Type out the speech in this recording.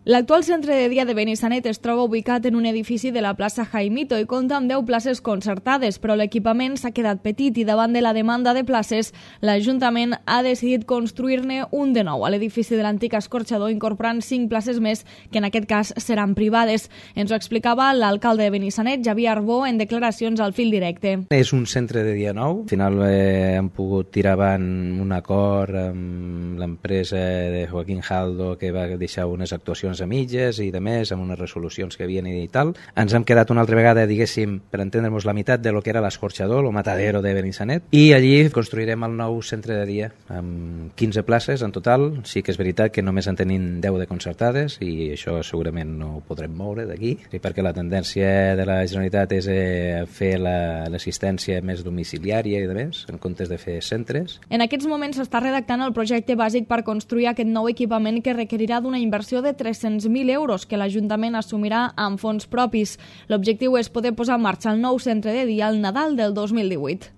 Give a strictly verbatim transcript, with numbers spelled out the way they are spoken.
L'actual centre de dia de Benissanet es troba ubicat en un edifici de la plaça Jaimito i compta amb deu places concertades, però l'equipament s'ha quedat petit i davant de la demanda de places, l'Ajuntament ha decidit construir-ne un de nou a l'edifici de l'antic escorxador, incorporant cinc places més que en aquest cas seran privades. Ens ho explicava l'alcalde de Benissanet, Xavier Arbó, en declaracions al Fil Directe. És un centre de dia nou. Al final eh, hem pogut tirar avant un acord amb l'empresa de Joaquín Jaldo que va deixar unes actuacions a mitges i de més, amb unes resolucions que havien i tal. Ens hem quedat una altra vegada, diguéssim, per entendre'ns la meitat de lo que era l'escorxador, el matadero de Benissanet, i allí construirem el nou centre de dia amb quinze places en total. Sí que és veritat que només en tenim deu de concertades i això segurament no ho podrem moure d'aquí, perquè la tendència de la Generalitat és eh, fer l'assistència la, més domiciliària i de més, en comptes de fer centres. En aquests moments s'està redactant el projecte bàsic per construir aquest nou equipament que requerirà d'una inversió de tres-cents mil euros que l'Ajuntament assumirà amb fons propis. L'objectiu és poder posar en marxa el nou centre de dia al Nadal del dos mil divuit.